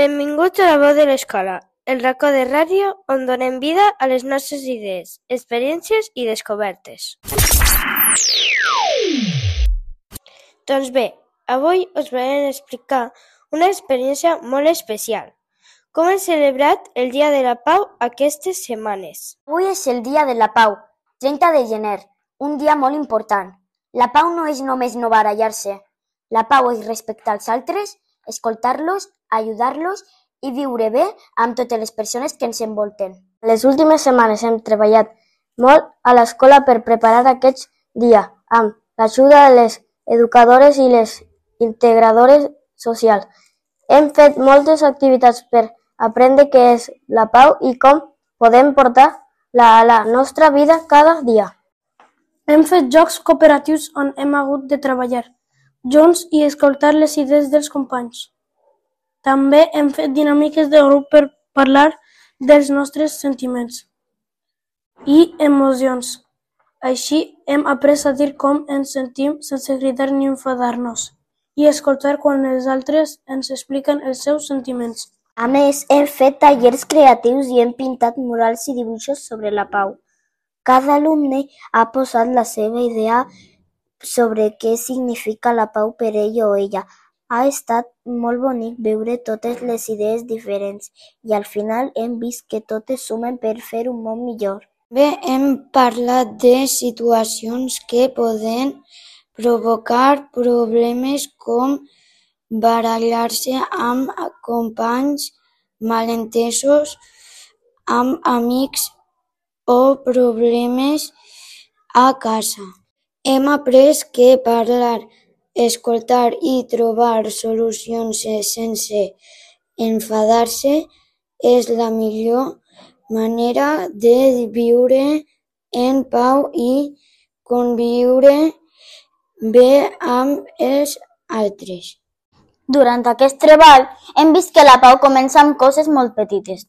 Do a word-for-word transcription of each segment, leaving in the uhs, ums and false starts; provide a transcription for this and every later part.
Benvinguts a La Veu de l'Escola, el racó de ràdio on donem vida a les nostres idees, experiències i descobertes. Doncs bé, avui us volem explicar una experiència molt especial. Com hem celebrat el Dia de la Pau aquestes setmanes. Avui és el Dia de la Pau, trenta de gener, un dia molt important. La pau no és només no barallar-se. La pau és respectar els altres, escoltar-los, ajudar-los i viure bé amb totes les persones que ens envolten. Les últimes setmanes hem treballat molt a l'escola per preparar aquest dia, amb l'ajuda de les educadores i les integradores socials. Hem fet moltes activitats per aprendre què és la pau i com podem portar-la a la nostra vida cada dia. Hem fet jocs cooperatius on hem hagut de treballar junts i escoltar les idees dels companys. També hem fet dinàmiques de grup per parlar dels nostres sentiments i emocions. Així hem après a dir com ens sentim sense cridar ni enfadar-nos i escoltar quan els altres ens expliquen els seus sentiments. A més, hem fet tallers creatius i hem pintat murals i dibuixos sobre la pau. Cada alumne ha posat la seva idea sobre què significa la pau per ell o ella. Ha estat molt bonic veure totes les idees diferents i al final hem vist que totes sumen per fer un món millor. Bé, hem parlat de situacions que poden provocar problemes com barallar-se amb companys, malentesos amb amics o problemes a casa. Hem après que parlar, escoltar i trobar solucions sense enfadar-se és la millor manera de viure en pau i conviure bé amb els altres. Durant aquest treball hem vist que la pau comença amb coses molt petites.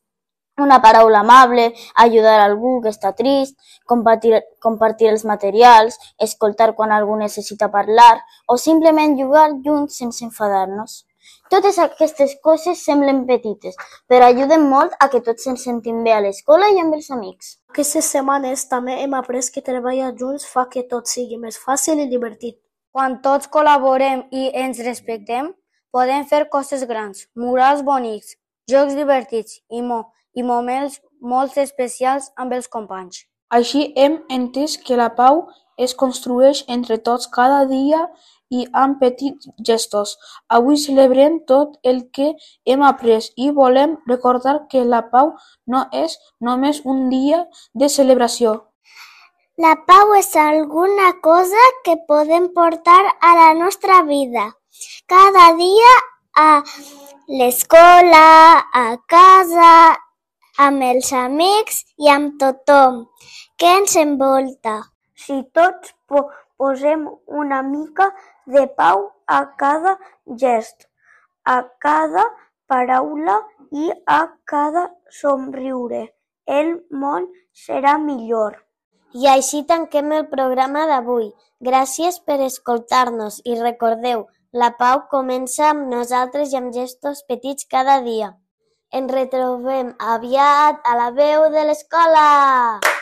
Una paraula amable, ajudar a algú que està trist, compartir, compartir els materials, escoltar quan algú necessita parlar o simplement jugar junts sense enfadar-nos. Totes aquestes coses semblen petites, però ajuden molt a que tots ens sentim bé a l'escola i amb els amics. Aquestes setmanes també hem après que treballar junts fa que tot sigui més fàcil i divertit. Quan tots col·laborem i ens respectem, podem fer coses grans, murals bonics, jocs divertits i, mo i moments molt especials amb els companys. Així hem entès que la pau es construeix entre tots cada dia i amb petits gestos. Avui celebrem tot el que hem après i volem recordar que la pau no és només un dia de celebració. La pau és alguna cosa que podem portar a la nostra vida cada dia a l'escola, a casa, amb els amics i amb tothom que ens envolta. Si tots po posem una mica de pau a cada gest, a cada paraula i a cada somriure, el món serà millor. I així tanquem el programa d'avui. Gràcies per escoltar-nos i recordeu, la pau comença amb nosaltres i amb gestos petits cada dia. Ens retrobem aviat a La Veu de l'Escola!